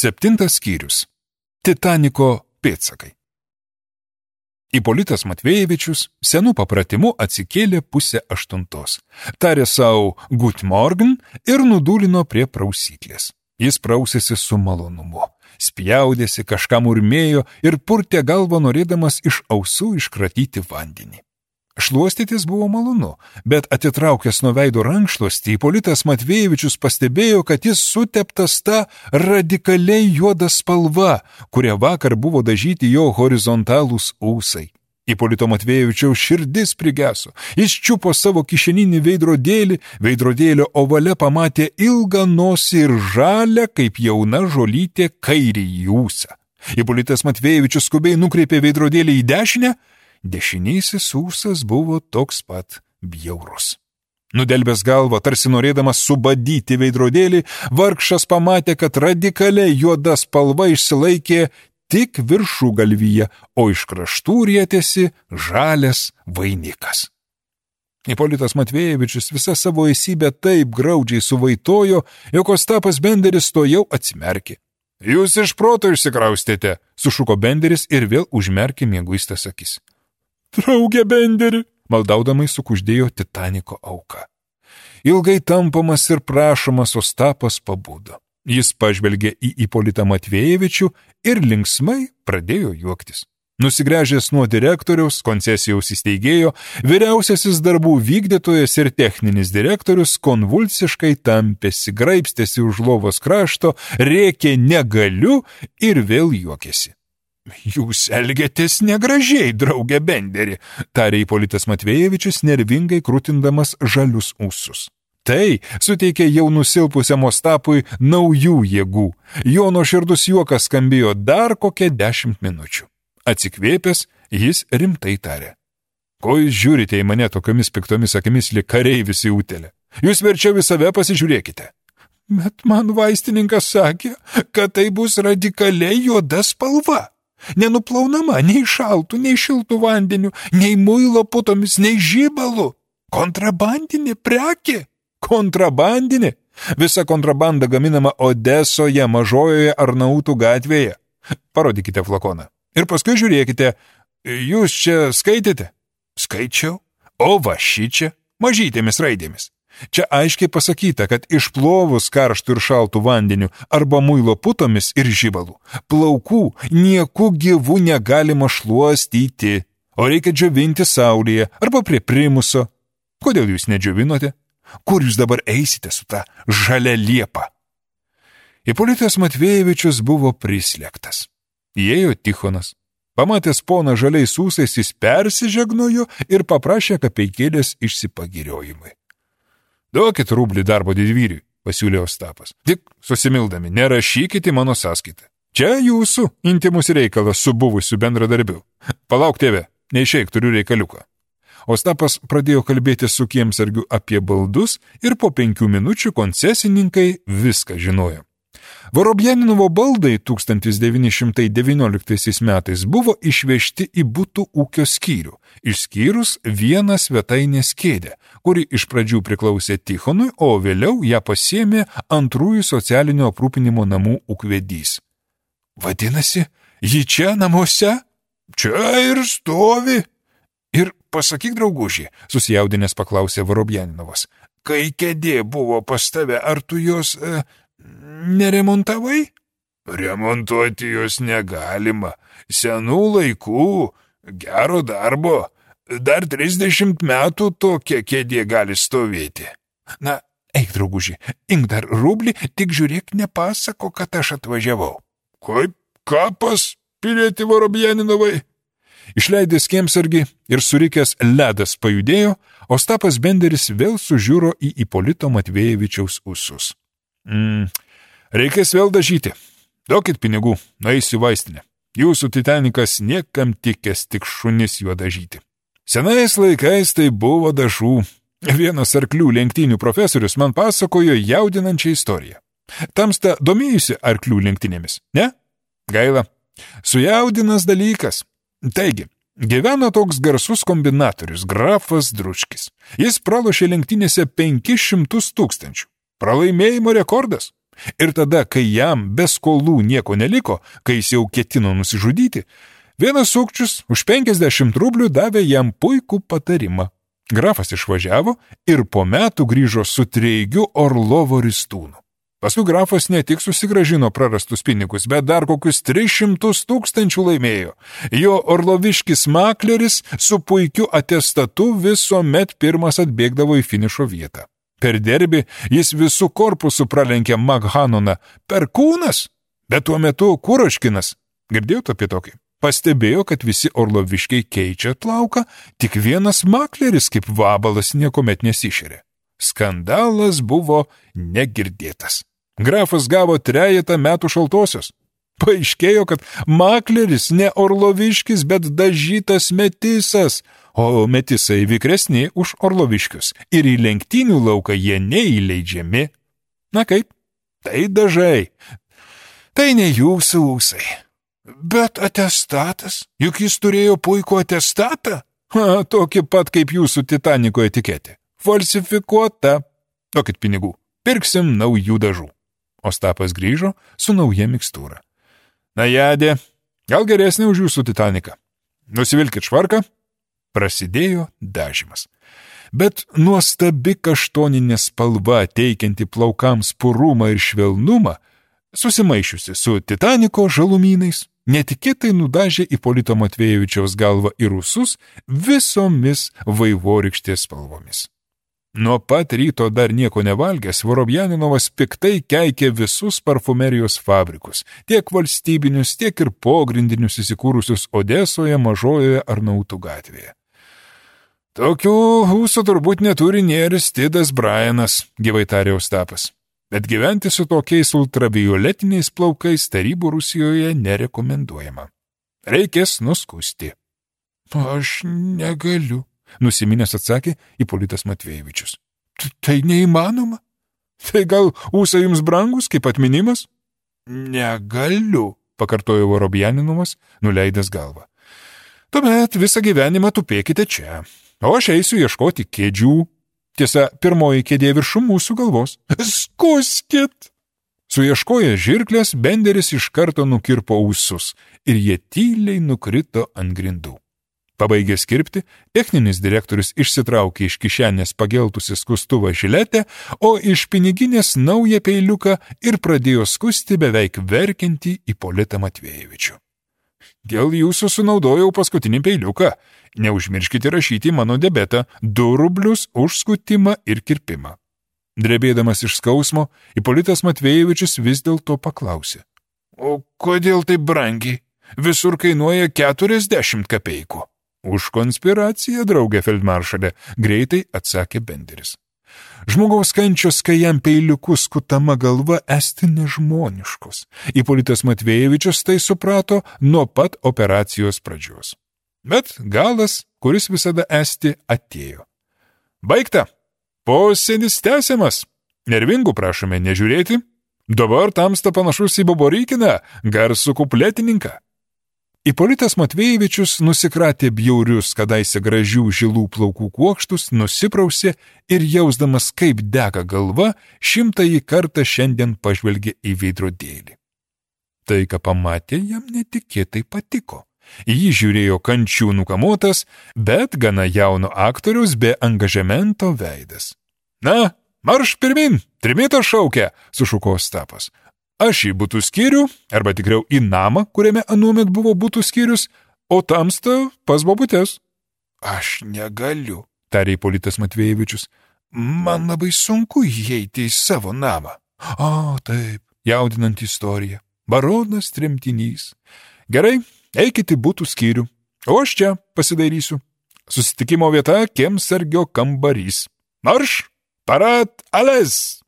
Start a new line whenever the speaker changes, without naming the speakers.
7 skyrius. Titaniko pėdsakai. Ipolitas Matvejevičius senų papratimu atsikėlė 7:30. Tarė savo Gut Morgen ir nudūlino prie prausyklės. Jis prausėsi su malonumu. Spjaudėsi, kažką murmėjo ir purtė galvą norėdamas iš ausų iškratyti vandenį. Šluostytis buvo malonu, bet atitraukęs nuo veido rankšluostį, Ipolitas Matvejevičius pastebėjo, kad jis suteptas tą radikaliai juodą spalva, kuria vakar buvo dažyti jo horizontalūs ūsai. Ipolito Matvejevičiaus širdis prigeso. Jis čiupo savo kišeninį veidrodėlį, veidrodėlio ovale pamatė ilgą nosį ir žalią, kaip jauna žolytė, kairįjį ūsą. Ipolitas Matvejevičius skubiai nukreipė veidrodėlį į dešinę. Dešinysis ūsas buvo toks pat bjaurus. Nudelbęs galvą, tarsi norėdamas subadyti veidrodėlį, vargšas pamatė, kad radikaliai juoda spalva išsilaikė tik viršugalvyje, o iš kraštų rietėsi žalias vainikas. Ipolitas Matvejevičius visą savo esybę taip graudžiai suvaitojo, jog Ostapas Benderis to jau atsimerkė. Jūs iš proto išsikraustėte, sušuko Benderis ir vėl užmerkė mieguistas akis. Drauge Benderi, maldaudamai sukuždėjo Titaniko auka. Ilgai tampomas ir prašomas Ostapas pabudo. Jis pažvelgė į Ipolitą Matvejevičių ir linksmai pradėjo juoktis. Nusigręžęs nuo direktoriaus, koncesijaus įsteigėjo, vyriausiasis darbų vykdytojas ir techninis direktorius konvulsiškai tampėsi, graibstėsi už lovos krašto, rėkė negaliu ir vėl juokėsi. Jūs elgiatės negražiai, drauge Benderi, tarė Ipolitas Matvejevičius nervingai krutindamas žalius ūsus. Tai suteikė jau nusilpusiam Ostapui naujų jėgų. Jo nuoširdus juokas skambėjo dar kokią 10 minučių. Atsikvėpęs, jis rimtai tarė. Ko jūs žiūrite į mane tokiomis piktomis akimis lyg kareivis į utėlę? Jūs verčiau į save pasižiūrėkite. Bet man vaistininkas sakė, kad tai bus radikaliai juoda spalva. Nenuplaunama nei šaltų, nei šiltų vandeniu, nei muilo putomis, nei žibalų. Kontrabandinė prekė. Kontrabandinė? Visa kontrabanda gaminama Odesoje, Mažojoje Arnautų gatvėje. Parodykite flakoną. Ir paskui žiūrėkite, jūs čia skaitėte? Skaičiau. O va šičia, mažytėmis raidėmis. Čia aiškiai pasakyta, kad išplovus karštų ir šaltų vandeniu arba muilo putomis ir žibalų, plaukų nieku gyvų negalima šluostyti, o reikia džiovinti saulėje arba prie primuso. Kodėl jūs nedžiovinote? Kur jūs dabar eisite su ta žalia liepa? Ipolitas Matvejevičius buvo prislėgtas. Įėjo Tichonas. Pamatęs poną žaliais ūsais, jis persižegnojo ir paprašė kapeikėlės išsipagiriojimui. Duokit rublį darbo didvyriui, pasiūlė Ostapas. Tik susimildami, nerašykite mano sąskaitą. Čia jūsų intimus reikalas su buvusiu bendradarbiu. Palauk tėve, neišeik, turiu reikaliuką. Ostapas pradėjo kalbėti su kiemsargiu apie baldus ir po 5 minučių koncesininkai viską žinojo. Vorobjaninovo baldai 1919 metais buvo išvežti į butų ūkio skyrių, išskyrus vieną svetainės kėdę, kuri iš pradžių priklausė Tichonui, o vėliau ją pasiėmė antrųjų socialinio aprūpinimo namų ūkvedys. Vadinasi, ji čia namuose? Čia ir stovi. Ir pasakyk, drauguži, susijaudinęs paklausė Vorobjaninovas, kai kėdė buvo pas tave, ar tu jos neremontavai? Remontuoti jos negalima. Senų laikų, gero darbo. Dar 30 metų tokia kėdė gali stovėti. Na, eik, drauguži, imk dar rublį, tik žiūrėk, nepasako, kad aš atvažiavau. Kaip kapas, pilieti Vorobjaninovai? Išleidęs kiemsargį ir surikęs ledas pajudėjo, Ostapas Benderis vėl sužiūro į Ipolito Matvejevičiaus ūsus. Reikės vėl dažyti. Duokit pinigų, nueisiu į vaistinę. Jūsų Titanikas niekam tikęs, tik šunis juo dažyti. Senais laikais tai buvo dažų. Vienas arklių lenktynių profesorius man pasakojo jaudinančią istoriją. Tamsta domėjusi arklių lenktynėmis, ne? Gaila. Sujaudinas dalykas. Taigi, gyveno toks garsus kombinatorius, grafas Dručkis. Jis pralošė lenktynėse 500 000. Pralaimėjimo rekordas. Ir tada, kai jam be skolų nieko neliko, kai jis jau ketino nusižudyti, vienas sukčius už 50 rublių davė jam puikų patarimą. Grafas išvažiavo ir po metų grįžo su treigiu Orlovo ristūnu. Paskui grafas ne tik susigrąžino prarastus pinigus, bet dar kokius 300 000 laimėjo. Jo orloviškis makleris su puikiu atestatu visuomet pirmas atbėgdavo į finišo vietą. Per derbį jis visų korpusų pralenkė Maghanoną. Perkūnas, bet tuo metu Kuročkinas. Girdėjot apie tokį? Pastebėjo, kad visi orloviškiai keičia plauką, tik vienas makleris kaip vabalas niekuomet nesišėrė. Skandalas buvo negirdėtas. Grafas gavo 3 metų šaltosios. Paaiškėjo, kad makleris ne orloviškis, bet dažytas metisas, o metisai vikresni už orloviškius ir į lenktynių lauką jie neįleidžiami. Na kaip? Tai dažai. Tai ne jūsų ūsai. Bet atestatas, juk jis turėjo puikų atestatą. Tokį pat kaip jūsų Titaniko etiketė. Falsifikuota. Duokit pinigų, pirksim naujų dažų. Ostapas grįžo su nauja mikstūra. Najadė, gal geresnė už jūsų Titaniką. Nusivilkit švarką. Prasidėjo dažymas. Bet nuostabi kaštoninė spalva, teikianti plaukams purumą ir švelnumą, susimaišiusi su Titaniko žalumynais, netikėtai nudažė Ipolito Matvejevičiaus galvą į rusus visomis vaivorykštės spalvomis. Nuo pat ryto dar nieko nevalgęs, Vorobjaninovas piktai keikė visus parfumerijos fabrikus, tiek valstybinius, tiek ir pogrindinius įsikūrusius Odesoje, Mažojoje Arnautų gatvėje. Tokių ūsų turbūt neturi nė Aristidas Bryanas, gyvai tarė Ostapas. Bet gyventi su tokiais ultravioletiniais plaukais Tarybų Rusijoje nerekomenduojama. Reikės nuskusti. Aš negaliu, nusiminęs atsakė Ipolitas Matvejevičius. Tai neįmanoma? Tai gal ūsai jums brangus kaip atminimas? Negaliu, pakartojo Vorobjaninovas, nuleidęs galvą. Tuomet visą gyvenimą tupėkite čia, o aš eisiu ieškoti kėdžių. Tiesa, pirmoji kėdė viršum mūsų galvos. Skuskit! Suieškoję žirklės, Benderis iš karto nukirpo ūsus ir jie tyliai nukrito ant grindų. Pabaigęs kirpti, techninis direktorius išsitraukė iš kišenės pageltusi skustuvą žiletę, o iš piniginės naują peiliuką ir pradėjo skusti beveik verkiantį Ipolitą Matvejevičių. Dėl jūsų sunaudojau paskutinį peiliuką. Neužmirškite rašyti mano debetą 2 rublius už skutimą ir kirpimą. Drebėdamas iš skausmo, Ipolitas Matvejevičius vis dėlto paklausė. O kodėl taip brangiai? Visur kainuoja 40 kapeikų. Už konspiraciją, draugė feldmaršalė, greitai atsakė Benderis. Žmogaus kančios, kai jam peiliuku skutama galva, esti nežmoniškos. Ipolitas Matvejevičius tai suprato nuo pat operacijos pradžios. Bet galas, kuris visada esti, atėjo. Baigta. Posėdis tęsiamas. Nervingų prašome nežiūrėti. Dabar tamsta panašus į Boborykiną, garsų kupletininką. Ipolitas Matvejevičius nusikratė bjaurius, kadaise gražių žilų plaukų kuokštus, nusiprausė ir jausdamas, kaip dega galva, 100-ąjį kartą šiandien pažvelgė į veidrodėlį. Tai, ką pamatė, jam netikėtai patiko. Jį žiūrėjo kančių nukamotas, bet gana jauno aktoriaus be angažemento veidas. Na, marš pirmin, trimitas šaukia, sušuko Ostapas. Aš į butų skyrių, arba tikriau į namą, kuriame anuomet buvo butų skyrius, o tamsta pas bobutes. Aš negaliu, tarė Ipolitas Matvejevičius. Man labai sunku įeiti į savo namą. O, taip, jaudinanti istorija. Baronas tremtinys. Gerai, eikite butų skyrių, o aš čia pasidairysiu. Susitikimo vieta kiemsargio kambarys. Marš, parat, ales!